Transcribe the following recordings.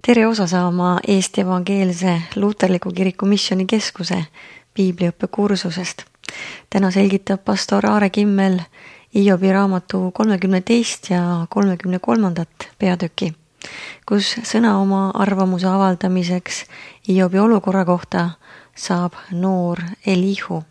Tere osa saama Eesti Evangeelse Luterliku Kiriku Missioonikeskuse piibliõppe kursusest. Täna selgitab pastor Aare Kimmel Hiobi raamatu 32. ja 33. peatüki, kus sõna oma arvamuse avaldamiseks Hiobi olukorra kohta saab noor Elihu.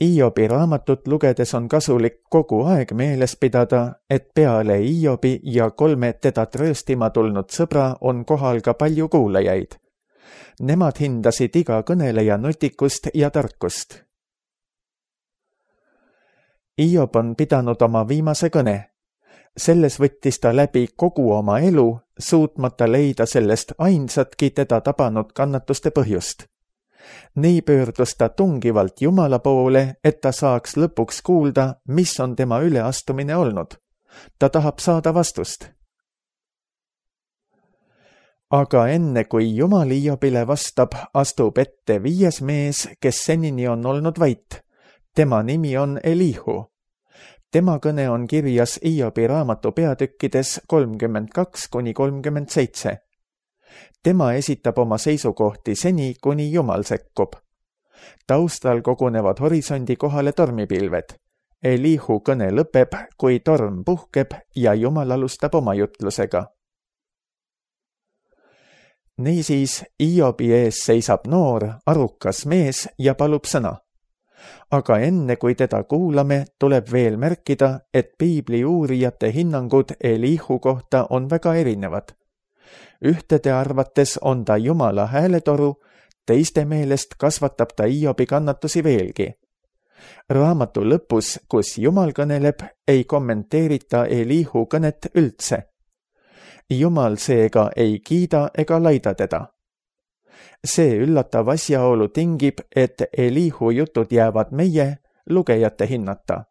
Hiobi raamatut lugedes on kasulik kogu aeg meeles pidada, et peale Hiobi ja 3 teda trööstima tulnud sõbra on kohal ka palju kuulajaid. Nemad hindasid iga kõneleja nutikust ja tarkust. Hiob on pidanud oma viimase kõne. Selles võttis ta läbi kogu oma elu, suutmata leida sellest ainsatki teda tabanud kannatuste põhjust. Nii pöördus ta tungivalt Jumala poole, et ta saaks lõpuks kuulda, mis on tema üleastumine olnud. Ta tahab saada vastust. Aga enne kui Jumal Hiobile vastab, astub ette 5. mees, kes senini on olnud vait. Tema nimi on Elihu. Tema kõne on kirjas Hiobi raamatu peatükkides 32-37. Tema esitab oma seisukohti seni, kuni Jumal sekkub. Taustal kogunevad horisondi kohale tormipilved. Elihu kõne lõpeb, kui torm puhkeb ja Jumal alustab oma jutlusega. Niisiis, Hiobi ees seisab noor, arukas mees ja palub sõna. Aga enne kui teda kuulame, tuleb veel märkida, et piibli uurijate hinnangud Elihu kohta on väga erinevad. Ühtede arvates on ta Jumala hääletoru, teiste meelest kasvatab ta Hiobi kannatusi veelgi. Raamatu lõpus, kus Jumal kõneleb, ei kommenteerita Elihu kõnet üldse. Jumal seega ei kiida ega laida teda. See üllatav asjaolu tingib, et Elihu jutud jäävad meie, lugejate hinnata.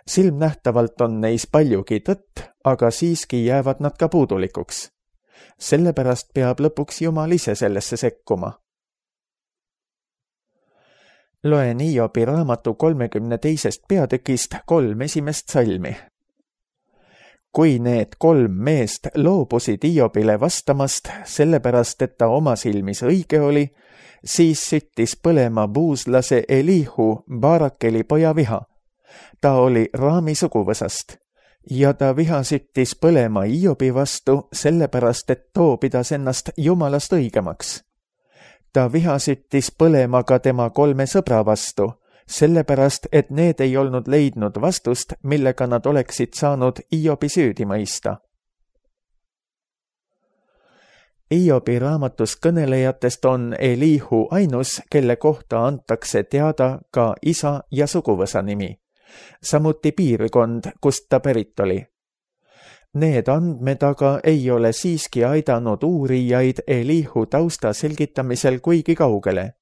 Silmnähtavalt on neis paljugi tõtt, aga siiski jäävad nad ka puudulikuks. Sellepärast peab lõpuks Jumal ise sellesse sekkuma. Loen Hiobi raamatu 32. peatükist 3 esimest salmi. Kui need 3 meest loobusid Hiobile vastamast, sellepärast et ta oma silmis õige oli, siis süttis põlema buuslase Elihu, Barakeli poja viha. Ta oli Raami suguvõsast. Ja ta viha süttis põlema Hiobi vastu, sellepärast et too pidas ennast Jumalast õigemaks. Ta viha süttis põlema ka tema 3 sõbra vastu, sellepärast et need ei olnud leidnud vastust, millega nad oleksid saanud Hiobi süüdi mõista. Hiobi raamatus kõnelejatest on Elihu ainus, kelle kohta antakse teada ka isa ja suguvõsa nimi. Samuti piirkond, kust ta pärit oli. Need andmed aga ei ole siiski aidanud uurijaid Elihu tausta selgitamisel kuigi kaugele.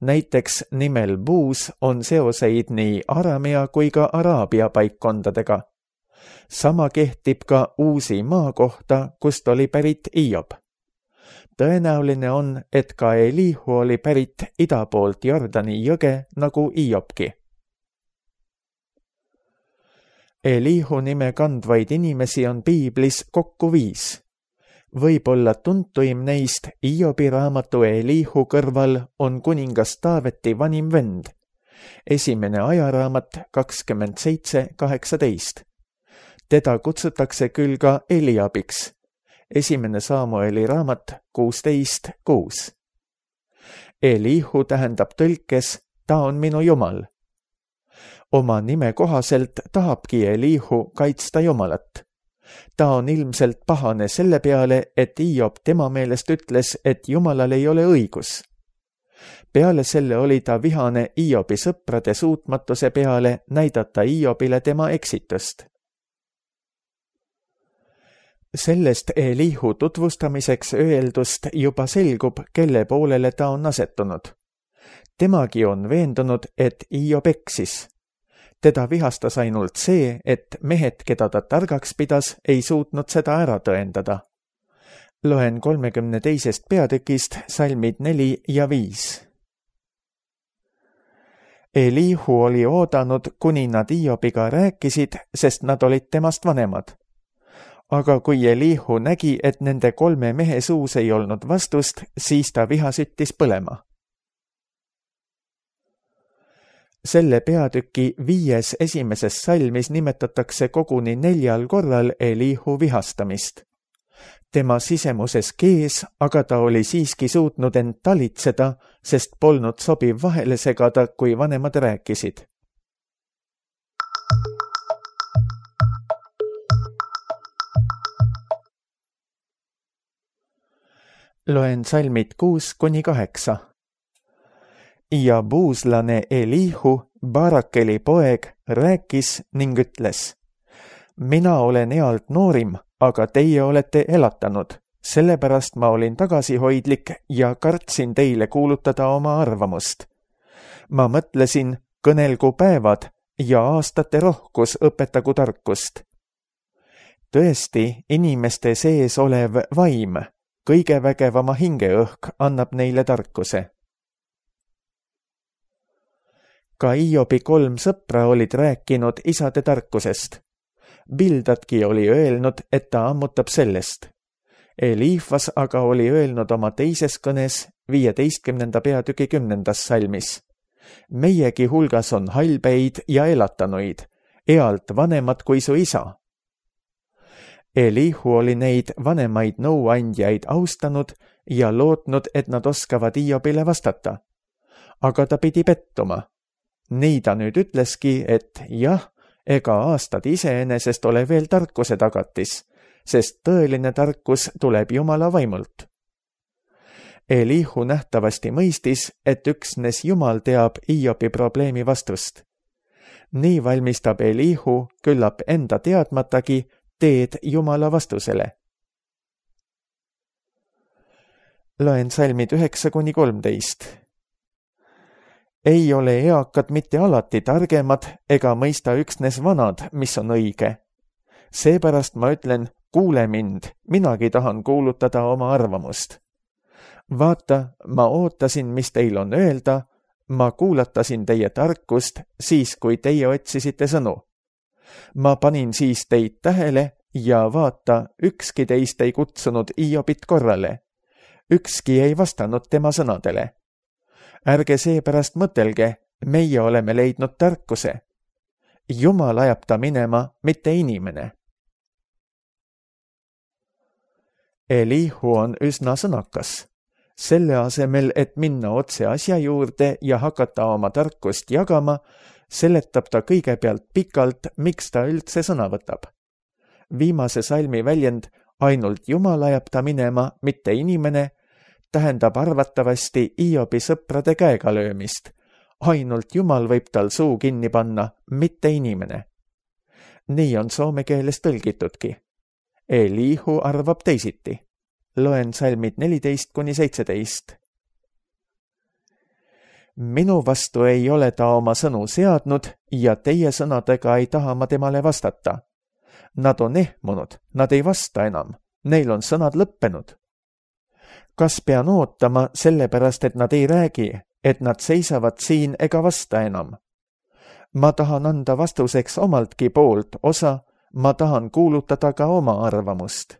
Näiteks nimel Buus on seoseid nii Aramea kui ka Araabia paikkondadega. Sama kehtib ka Uusi maa kohta, kust oli pärit Hiob. Tõenäoline on, et ka Elihu oli pärit ida poolt Jordani jõge nagu Hiobki. Elihu nime kandvaid inimesi on piiblis kokku 5. Võib-olla tuntuim neist Hiobi raamatu Elihu kõrval on kuningas Taaveti vanim vend. 1. ajaraamat 27:18. Teda kutsutakse küll ka Eliabiks. 1. Samueli raamat 16:6. Elihu tähendab tõlkes, ta on minu Jumal. Oma nime kohaselt tahabki Elihu kaitsta Jumalat. Ta on ilmselt pahane selle peale, et Hiob tema meelest ütles, et Jumalal ei ole õigus. Peale selle oli ta vihane Hiobi sõprade suutmatuse peale näidata Hiobile tema eksitust. Sellest Elihu tutvustamiseks öeldust juba selgub, kelle poolele ta on asetunud. Temagi on veendunud, et Hiob eksis. Teda vihastas ainult see, et mehed, keda ta targaks pidas, ei suutnud seda ära tõendada. Loen 32. peatükist salmid 4 ja 5. Elihu oli oodanud, kuni nad Hiobiga rääkisid, sest nad olid temast vanemad. Aga kui Elihu nägi, et nende 3 mehe suus ei olnud vastust, siis ta viha süttis põlema. Selle peatüki 5. esimeses salmis nimetatakse koguni 4 korral Elihu vihastamist. Tema sisemuses kees, aga ta oli siiski suutnud end talitseda, sest polnud sobiv vahele segada, kui vanemad rääkisid. Loen salmid 6-8. Ja buuslane Elihu, Barakeli poeg, rääkis ning ütles: mina olen ealt noorim, aga teie olete elatanud, sellepärast ma olin tagasihoidlik ja kartsin teile kuulutada oma arvamust. Ma mõtlesin, kõnelgu päevad ja aastate rohkus õpetagu tarkust. Tõesti, inimeste sees olev vaim, kõige vägevama hingeõhk annab neile tarkuse. Ka Hiobi 3 sõpra olid rääkinud isade tarkusest. Bildadki oli öelnud, et ta ammutab sellest. Eliifas aga oli öelnud oma teises kõnes 15. peatüki 10. salmis. Meiegi hulgas on halbeid ja elatanuid, ealt vanemad kui su isa. Elihu oli neid vanemaid nõuandjaid austanud ja lootnud, et nad oskavad Hiobile vastata. Aga ta pidi pettuma. Nii ta nüüd ütleski, et jah, ega aastad iseenesest ole veel tarkuse tagatis, sest tõeline tarkus tuleb Jumala vaimult. Elihu nähtavasti mõistis, et üksnes Jumal teab Hiobi probleemi vastust. Nii valmistab Elihu küllap enda teadmatagi teed Jumala vastusele. Loen salmid 9-13. Ei ole eakad mitte alati targemad ega mõista üksnes vanad, mis on õige. Seepärast ma ütlen, kuule mind, minagi tahan kuulutada oma arvamust. Vaata, ma ootasin, mis teil on öelda, ma kuulatasin teie tarkust siis, kui teie otsisite sõnu. Ma panin siis teid tähele ja vaata, ükski teist ei kutsunud Hiobit korrale. Ükski ei vastanud tema sõnadele. Ärge seepärast mõtelge, meie oleme leidnud tarkuse. Jumal ajab ta minema, mitte inimene. Elihu on üsna sõnakas. Selle asemel, et minna otse asja juurde ja hakata oma tarkust jagama, seletab ta kõigepealt pikalt, miks ta üldse sõna võtab. Viimase salmi väljend ainult Jumal ajab ta minema, mitte inimene, tähendab arvatavasti Hiobi sõprade käega löömist. Ainult Jumal võib tal suu kinni panna, mitte inimene. Nii on soome keeles tõlgitudki. Elihu arvab teisiti. Loen salmid 14-17. Minu vastu ei ole ta oma sõnu seadnud ja teie sõnadega ei taha ma temale vastata. Nad on ehmunud, nad ei vasta enam, neil on sõnad lõppenud. Kas pean ootama sellepärast, et nad ei räägi, et nad seisavad siin ega vasta enam? Ma tahan anda vastuseks omaltki poolt osa, ma tahan kuulutada ka oma arvamust.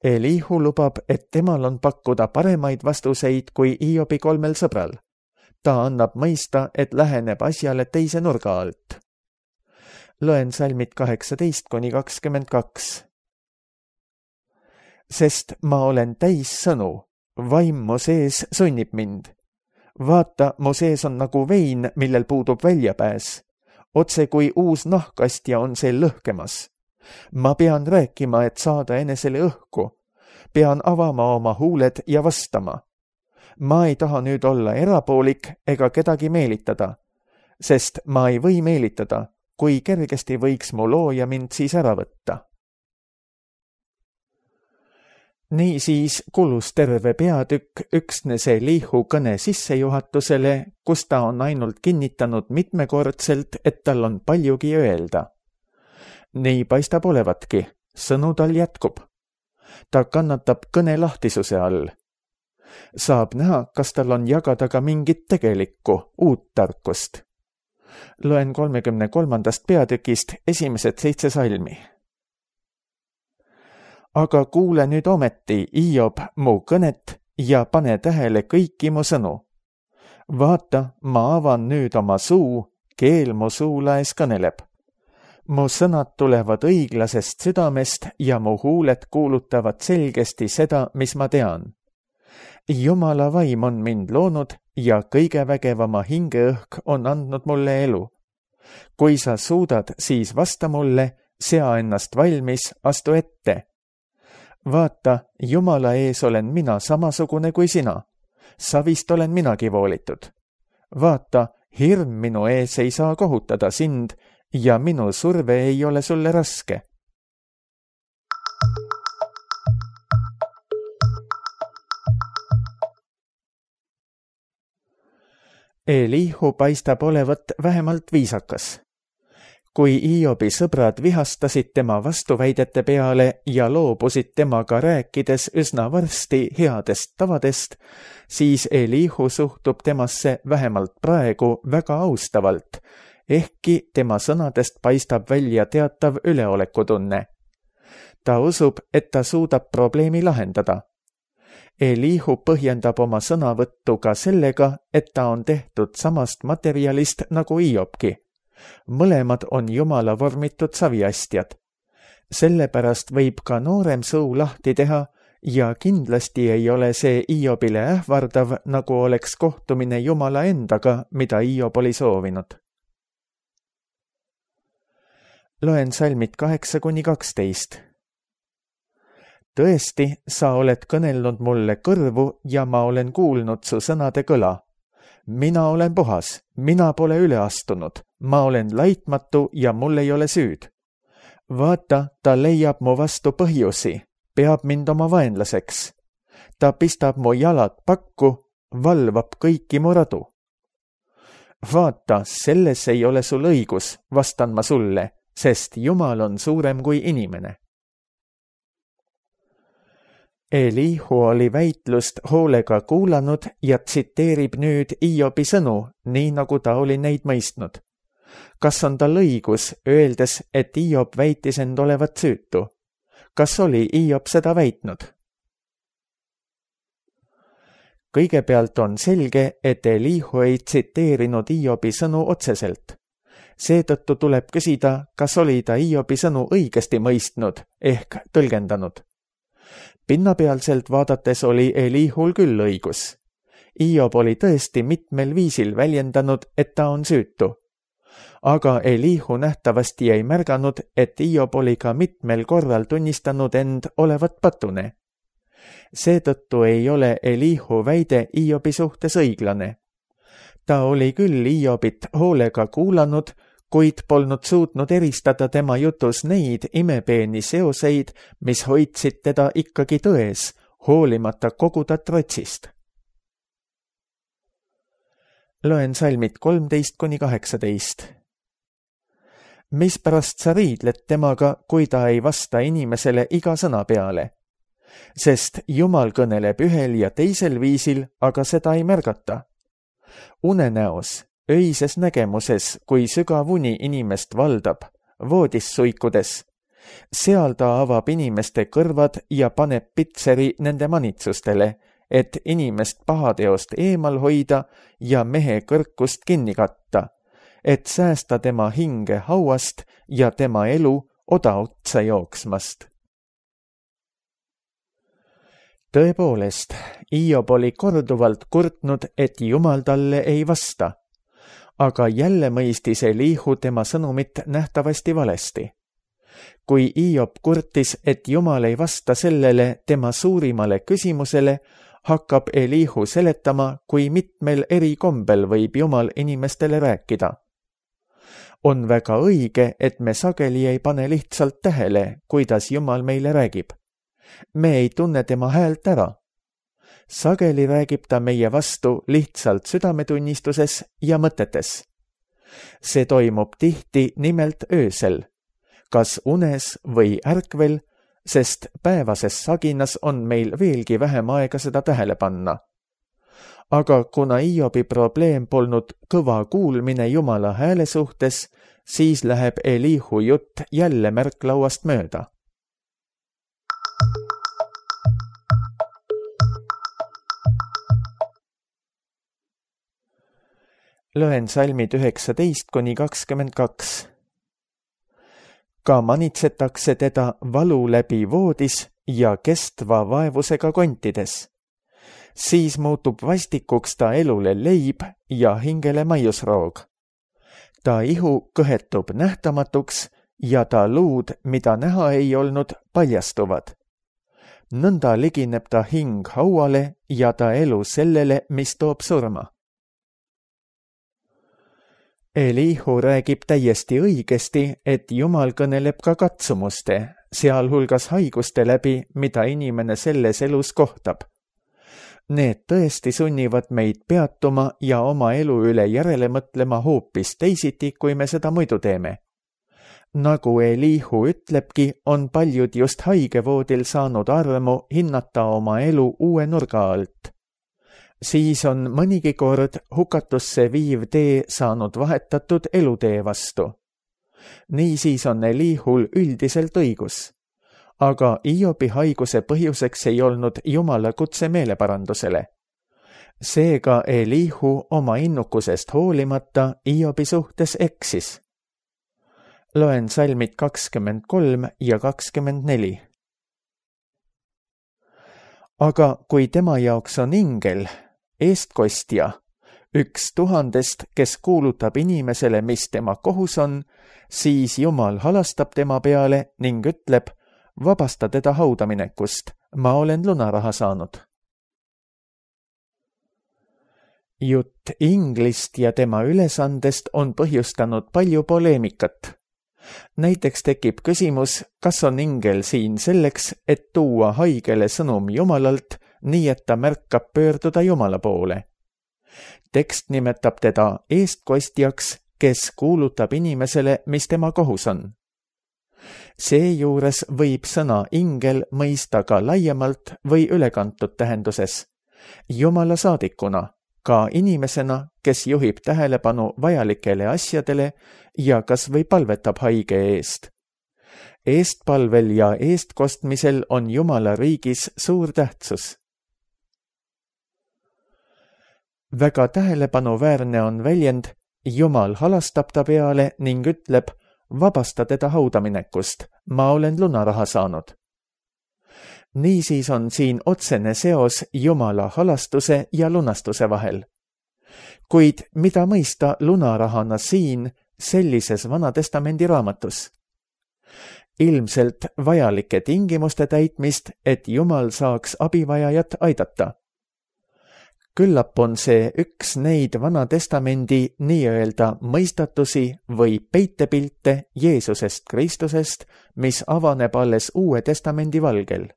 Elihu lubab, et temal on pakkuda paremaid vastuseid kui Hiobi 3 sõbral. Ta annab mõista, et läheneb asjale teise nurga alt. Loen salmid 18-22. Sest ma olen täis sõnu, vaim mu sees sunnib mind. Vaata, mu sees on nagu vein, millel puudub väljapääs. Otse kui uus nahkastja on see lõhkemas. Ma pean rääkima, et saada enesele õhku. Pean avama oma huuled ja vastama. Ma ei taha nüüd olla erapoolik ega kedagi meelitada, sest ma ei või meelitada, kui kergesti võiks mu looja mind siis ära võtta. Niisiis kulus terve peatükk üksnes Elihu kõne sissejuhatusele, kus ta on ainult kinnitanud mitmekordselt, et tal on paljugi öelda. Nii paistab olevatki, sõnu tal jätkub. Ta kannatab kõne lahtisuse all. Saab näha, kas tal on jagada ka mingit tegelikku, uut tarkust. Loen 33. peatükist esimesed 7 salmi. Aga kuule nüüd ometi, Hiob, mu kõnet ja pane tähele kõiki mu sõnu. Vaata, ma avan nüüd oma suu, keel mu suulaes kõneleb. Mu sõnad tulevad õiglasest südamest ja mu huuled kuulutavad selgesti seda, mis ma tean. Jumala vaim on mind loonud ja kõige vägevama hingeõhk on andnud mulle elu. Kui sa suudad, siis vasta mulle, sea ennast valmis, astu ette. Vaata, Jumala ees olen mina samasugune kui sina. Savist olen minagi voolitud. Vaata, hirm minu ees ei saa kohutada sind ja minu surve ei ole sulle raske. Elihu paistab olevat vähemalt viisakas. Kui Hiobi sõbrad vihastasid tema vastuväidete peale ja loobusid temaga rääkides üsna varsti headest tavadest, siis Elihu suhtub temasse vähemalt praegu väga austavalt, ehkki tema sõnadest paistab välja teatav üleolekutunne. Ta usub, et ta suudab probleemi lahendada. Elihu põhjendab oma sõnavõttu ka sellega, et ta on tehtud samast materjalist nagu Hiobki. Mõlemad on Jumala vormitud saviastjad. Sellepärast võib ka noorem suu lahti teha ja kindlasti ei ole see Hiobile ähvardav, nagu oleks kohtumine Jumala endaga, mida Hiob oli soovinud. Loen salmid 8-12. Tõesti, sa oled kõnelnud mulle kõrvu ja ma olen kuulnud su sõnade kõla. Mina olen puhas, mina pole üle astunud, ma olen laitmatu ja mul ei ole süüd. Vaata, ta leiab mu vastu põhjusi, peab mind oma vaenlaseks. Ta pistab mu jalad pakku, valvab kõiki mu radu. Vaata, selles ei ole sul õigus, vastan ma sulle, sest Jumal on suurem kui inimene. Elihu oli väitlust hoolega kuulanud ja tsiteerib nüüd Hiobi sõnu, nii nagu ta oli neid mõistnud. Kas on tal õigus, öeldes, et Hiob väitis end olevat süütu? Kas oli Hiob seda väitnud? Kõigepealt on selge, et Elihu ei tsiteerinud Hiobi sõnu otseselt. Seetõttu tuleb küsida, kas oli ta Hiobi sõnu õigesti mõistnud ehk tõlgendanud. Pinnapealselt vaadates oli Elihul küll õigus. Hiob oli tõesti mitmel viisil väljendanud, et ta on süütu. Aga Elihu nähtavasti ei märganud, et Hiob oli ka mitmel korral tunnistanud end olevat patune. Seetõttu ei ole Elihu väide Hiobi suhtes õiglane. Ta oli küll Hiobit hoolega kuulanud, kuid polnud suutnud eristada tema jutus neid imepeeni seoseid, mis hoidsid teda ikkagi tões, hoolimata kogu ta trotsist. Loen salmid 13-18. Mispärast sa riidled temaga, kui ta ei vasta inimesele iga sõna peale? Sest Jumal kõneleb ühel ja teisel viisil, aga seda ei märgata. Unenäos, öises nägemuses, kui sügav uni inimest valdab, voodis suikudes. Seal ta avab inimeste kõrvad ja paneb pitseri nende manitsustele, et inimest pahateost eemal hoida ja mehe kõrkust kinni katta, et säästa tema hinge hauast ja tema elu odaotsa jooksmast. Tõepoolest, Hiob oli korduvalt kurtnud, et Jumal talle ei vasta, aga jälle mõistis Elihu tema sõnumit nähtavasti valesti. Kui Hiob kurtis, et Jumal ei vasta sellele tema suurimale küsimusele, hakkab Elihu seletama, kui mitmel eri kombel võib Jumal inimestele rääkida. On väga õige, et me sageli ei pane lihtsalt tähele, kuidas Jumal meile räägib. Me ei tunne tema häält ära. Sageli räägib ta meie vastu lihtsalt südametunnistuses ja mõtetes. See toimub tihti nimelt öösel. Kas unes või ärkvel, sest päevases saginas on meil veelgi vähem aega seda tähele panna. Aga kuna Hiobi probleem polnud kõva kuulmine Jumala hääle suhtes, siis läheb Elihu jutt jälle märklauast mööda. Loen salmid 19–22. Ka manitsetakse teda valu läbi voodis ja kestva vaevusega kontides. Siis muutub vastikuks ta elule leib ja hingele maiusroog. Ta ihu kõhetub nähtamatuks ja ta luud, mida näha ei olnud, paljastuvad. Nõnda ligineb ta hing hauale ja ta elu sellele, mis toob surma. Elihu räägib täiesti õigesti, et Jumal kõneleb ka katsumuste, sealhulgas haiguste läbi, mida inimene selles elus kohtab. Need tõesti sunnivad meid peatuma ja oma elu üle järele mõtlema hoopis teisiti, kui me seda muidu teeme. Nagu Elihu ütlebki, on paljud just haigevoodil saanud armu hinnata oma elu uue nurga alt. Siis on mõnigi kord hukatusse viiv tee saanud vahetatud elutee vastu. Niisiis on Elihul üldiselt õigus. Aga Hiobi haiguse põhjuseks ei olnud Jumala kutse meeleparandusele. Seega Elihu oma innukusest hoolimata Hiobi suhtes eksis. Loen salmid 23 ja 24. Aga kui tema jaoks on ingel, eestkostja, 1000, kes kuulutab inimesele, mis tema kohus on, siis Jumal halastab tema peale ning ütleb, vabasta teda haudaminekust, ma olen lunaraha saanud. Jutt inglist ja tema ülesandest on põhjustanud palju poleemikat. Näiteks tekib küsimus, kas on ingel siin selleks, et tuua haigele sõnum Jumalalt, nii et ta märkab pöörduda Jumala poole. Tekst nimetab teda eestkostjaks, kes kuulutab inimesele, mis tema kohus on. Seejuures võib sõna ingel mõista ka laiemalt või ülekantud tähenduses. Jumala saadikuna, ka inimesena, kes juhib tähelepanu vajalikele asjadele ja kas või palvetab haige eest. Eestpalvel ja eestkostmisel on Jumala riigis suur tähtsus. Väga tähelepanuväärne on väljend, Jumal halastab ta peale ning ütleb, vabasta teda haudaminekust, ma olen lunaraha saanud. Niisiis on siin otsene seos Jumala halastuse ja lunastuse vahel. Kuid mida mõista lunarahana siin, sellises Vanatestamendi raamatus? Ilmselt vajalike tingimuste täitmist, et Jumal saaks abivajajat aidata. Küllap on see üks neid Vanatestamendi nii-öelda mõistatusi või peitepilte Jeesusest Kristusest, mis avaneb alles Uue Testamendi valgel.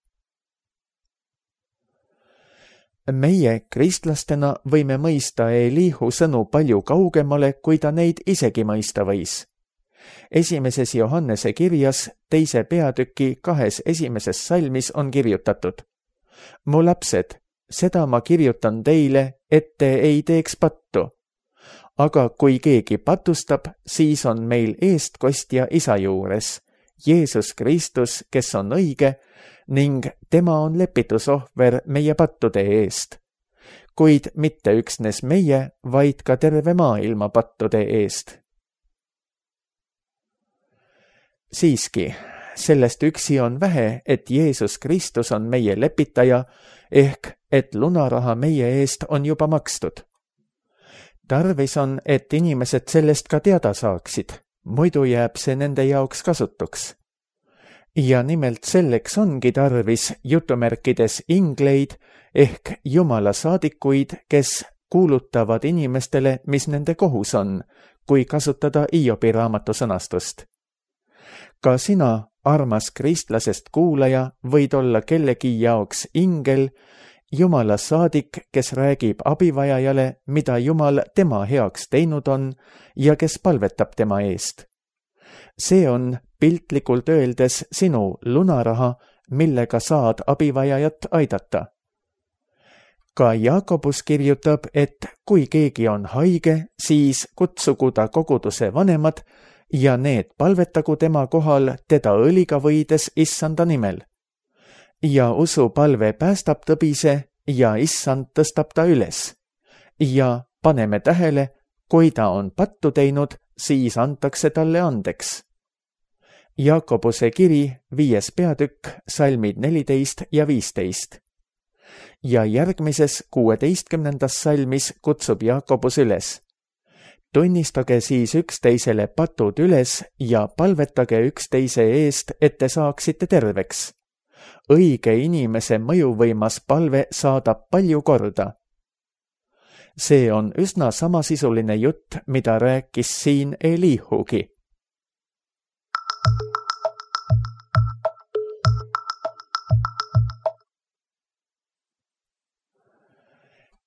Meie kristlastena võime mõista Elihu sõnu palju kaugemale, kui ta neid isegi mõista võis. 1. Johannese kirjas 2. peatüki 2. esimeses salmis on kirjutatud: Mu lapsed, seda ma kirjutan teile, et te ei teeks pattu. Aga kui keegi patustab, siis on meil eestkostja Isa juures, Jeesus Kristus, kes on õige, ning tema on lepitusohver meie pattude eest. Kuid mitte üksnes meie, vaid ka terve maailma pattude eest. Siiski, sellest üksi on vähe, et Jeesus Kristus on meie lepitaja, ehk et lunaraha meie eest on juba makstud. Tarvis on, et inimesed sellest ka teada saaksid, muidu jääb see nende jaoks kasutuks. Ja nimelt selleks ongi tarvis jutumärkides ingleid ehk Jumala saadikuid, kes kuulutavad inimestele, mis nende kohus on, kui kasutada Hiobi raamatu sõnastust. Ka sina, armas kristlasest kuulaja, võid olla kellegi jaoks ingel, Jumala saadik, kes räägib abivajajale, mida Jumal tema heaks teinud on ja kes palvetab tema eest. See on piltlikult öeldes sinu lunaraha, millega saad abivajajat aidata. Ka Jaakobus kirjutab, et kui keegi on haige, siis kutsugu ta koguduse vanemad ja need palvetagu tema kohal teda õliga võides issanda nimel. Ja usupalve päästab tõbise ja issand tõstab ta üles. Ja paneme tähele, kui ta on pattu teinud, siis antakse talle andeks. Jaakobuse kiri 5. peatükk, salmid 14 ja 15. Ja järgmises 16. salmis kutsub Jaakobus üles. Tunnistage siis üksteisele patud üles ja palvetage üksteise eest, et te saaksite terveks. Õige inimese mõjuvõimas palve saadab palju korda. See on üsna samasisuline jutt, mida rääkis siin Elihugi.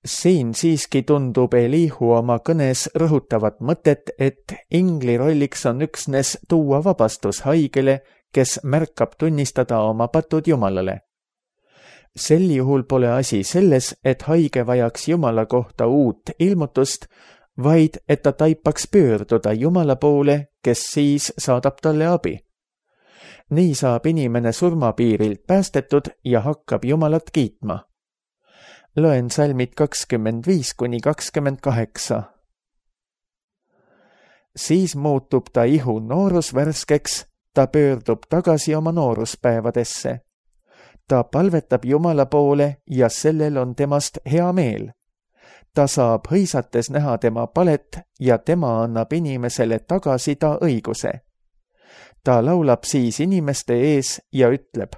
Siin siiski tundub Elihu oma kõnes rõhutavat mõtet, et ingli rolliks on üksnes tuua vabastus haigele, kes märkab tunnistada oma patud Jumalale. Sel juhul pole asi selles, et haige vajaks Jumala kohta uut ilmutust, vaid et ta taipaks pöörduda Jumala poole, kes siis saadab talle abi. Nii saab inimene surmapiirilt päästetud ja hakkab Jumalat kiitma. Loen salmid 25–28. Siis muutub ta ihu noorus värskeks, ta pöördub tagasi oma nooruspäevadesse. Ta palvetab Jumala poole ja sellel on temast hea meel. Ta saab hõisates näha tema palet ja tema annab inimesele tagasi ta õiguse. Ta laulab siis inimeste ees ja ütleb,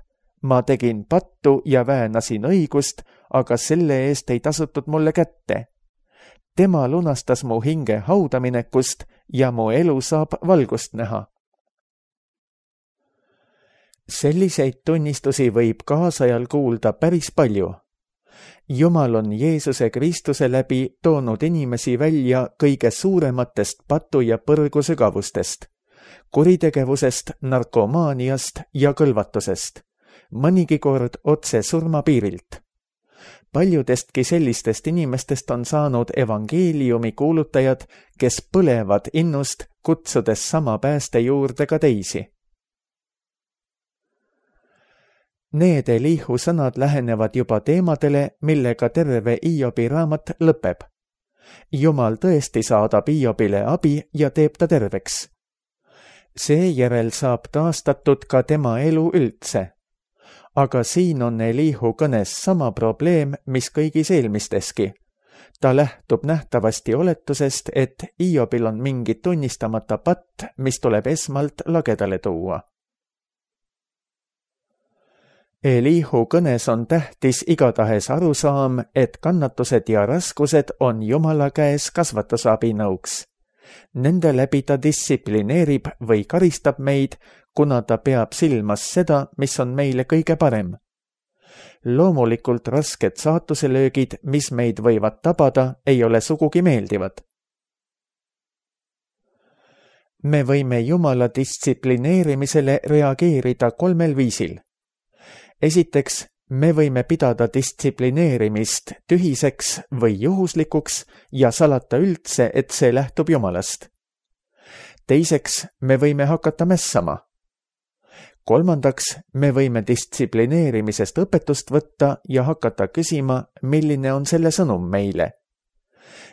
ma tegin pattu ja väänasin õigust, aga selle eest ei tasutud mulle kätte. Tema lunastas mu hinge haudaminekust ja mu elu saab valgust näha. Selliseid tunnistusi võib kaasajal kuulda päris palju. Jumal on Jeesuse Kristuse läbi toonud inimesi välja kõige suurematest patu- ja põrgusügavustest, kuritegevusest, narkomaaniast ja kõlvatusest, mõnigi kord otse surmapiirilt. Paljudestki sellistest inimestest on saanud evangeeliumi kuulutajad, kes põlevad innust, kutsudes sama pääste juurde ka teisi. Need Elihu sõnad lähenevad juba teemadele, millega terve Iobi raamat lõpeb. Jumal tõesti saadab Iobile abi ja teeb ta terveks. Seejärel saab taastatud ka tema elu üldse. Aga siin on Elihu kõnes sama probleem, mis kõigis eelmisteski. Ta lähtub nähtavasti oletusest, et Iobil on mingi tunnistamata patt, mis tuleb esmalt lagedale tuua. Elihu kõnes on tähtis igatahes arusaam, et kannatused ja raskused on Jumala käes kasvatusabinõuks. Nende läbi ta distsiplineerib või karistab meid, kuna ta peab silmas seda, mis on meile kõige parem. Loomulikult rasked saatuselöögid, mis meid võivad tabada, ei ole sugugi meeldivad. Me võime Jumala distsiplineerimisele reageerida 3 viisil. Esiteks, me võime pidada distsiplineerimist tühiseks või juhuslikuks ja salata üldse, et see lähtub Jumalast. Teiseks, me võime hakata mässama. Kolmandaks, me võime distsiplineerimisest õpetust võtta ja hakata küsima, milline on selle sõnum meile.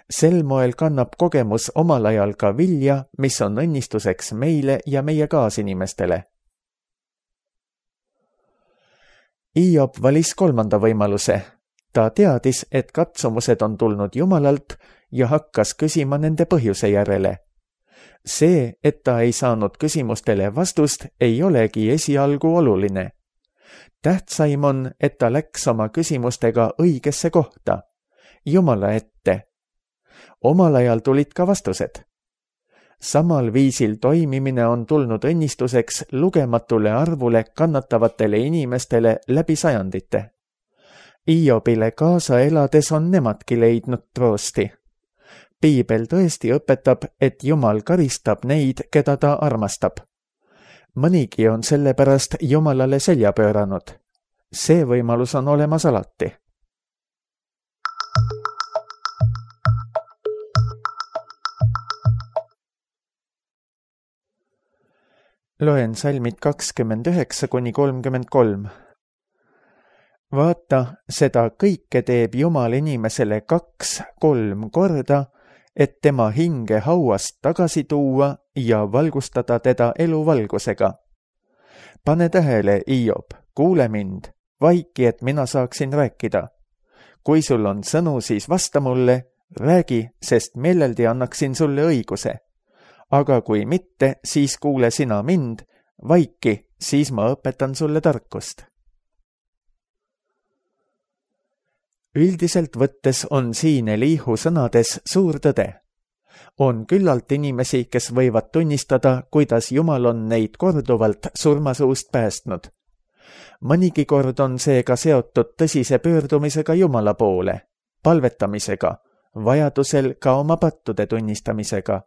Sel moel kannab kogemus omal ajal ka vilja, mis on õnnistuseks meile ja meie kaasinimestele. Iob valis 3. võimaluse. Ta teadis, et katsumused on tulnud Jumalalt ja hakkas küsima nende põhjuse järele. See, et ta ei saanud küsimustele vastust, ei olegi esialgu oluline. Tähtsaim on, et ta läks oma küsimustega õigesse kohta, Jumala ette. Omal ajal tulid ka vastused. Samal viisil toimimine on tulnud õnnistuseks lugematule arvule kannatavatele inimestele läbi sajandite. Iobile kaasa elades on nemadki leidnud troosti. Piibel tõesti õpetab, et Jumal karistab neid, keda ta armastab. Mõnigi on sellepärast Jumalale selja pööranud, See võimalus on olemas alati. Loen salmid 29–33. Vaata, seda kõike teeb Jumal inimesele 2-3 korda, et tema hinge hauast tagasi tuua ja valgustada teda eluvalgusega. Pane tähele, Hiob, kuule mind, vaiki, et mina saaksin rääkida. Kui sul on sõnu, siis vasta mulle, räägi, sest meeleldi annaksin sulle õiguse. Aga kui mitte, siis kuule sina mind, vaiki, siis ma õpetan sulle tarkust. Üldiselt võttes on siin Elihu sõnades suur tõde. On küllalt inimesi, kes võivad tunnistada, kuidas Jumal on neid korduvalt surmasuust päästnud. Mõnigi kord on see ka seotud tõsise pöördumisega Jumala poole, palvetamisega, vajadusel ka oma pattude tunnistamisega.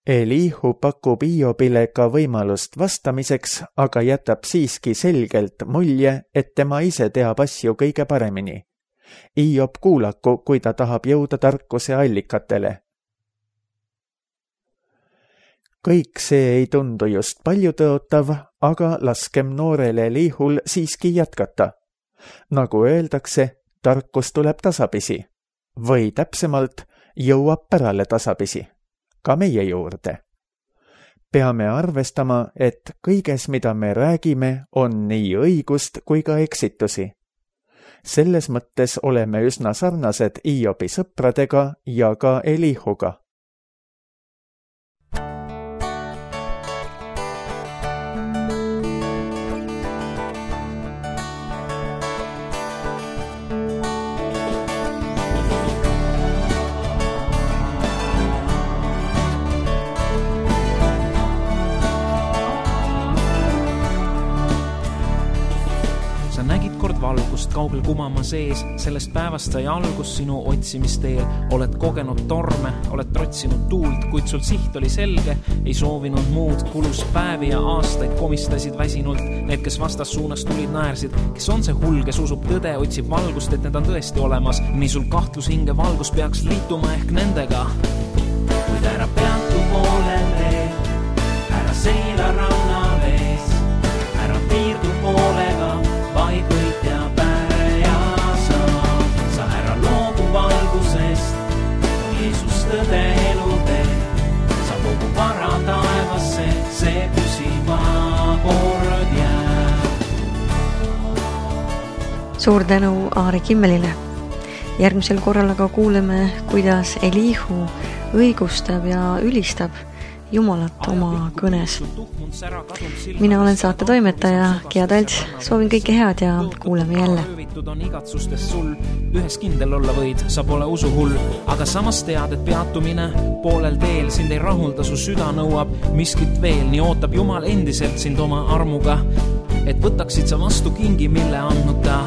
Elihu pakub Hiobile ka võimalust vastamiseks, aga jätab siiski selgelt mulje, et tema ise teab asju kõige paremini. Hiob kuulaku, kui ta tahab jõuda tarkuse allikatele. Kõik see ei tundu just palju tõotav, aga laskem noorele Elihul siiski jätkata. Nagu öeldakse, tarkus tuleb tasapisi. Või täpsemalt, jõuab pärale tasapisi. Ka meie juurde. Peame arvestama, et kõiges, mida me räägime, on nii õigust kui ka eksitusi. Selles mõttes oleme üsna sarnased Hiobi sõpradega ja ka Elihuga. Valgust kaugel kumama sees, sellest päevast sai algus sinu otsimisteel. Oled kogenud torme, oled trotsinud tuult, kuid sul siht oli selge, ei soovinud muud. Kulus päevi ja aastaid, komistasid väsinult. Need, kes vastas suunas tulid, naersid. Kes on see hull, kes usub tõde, otsib valgust, et need on tõesti olemas. Nii sul kahtlus hinge valgus peaks liituma ehk nendega. Kuid ära peatu poolel teel, ära seila ranna vees, ära piirdu poolega, vaid võit ja päre ja sa ära loobu valgusest, on Jeesus tõde elutee, sa kogu vara taevasse, see püsiva kord jääb. Suur tänu Aare Kimmelile. Järgmisel korral aga kuuleme, kuidas Elihu õigustab ja ülistab Jumalat oma kõnes. Mina olen saate toimetaja Gea Talts, soovin kõike head ja kuuleme jälle. On igatsustest sul, ühes kindel olla võid, sa pole usuhull, aga samas tead, et peatumine poolel teel sind ei rahulda, su süda nõuab miskit veel, nii ootab Jumal endiselt sind oma armuga, et võtaksid sa vastu kingi, mille andnud ta.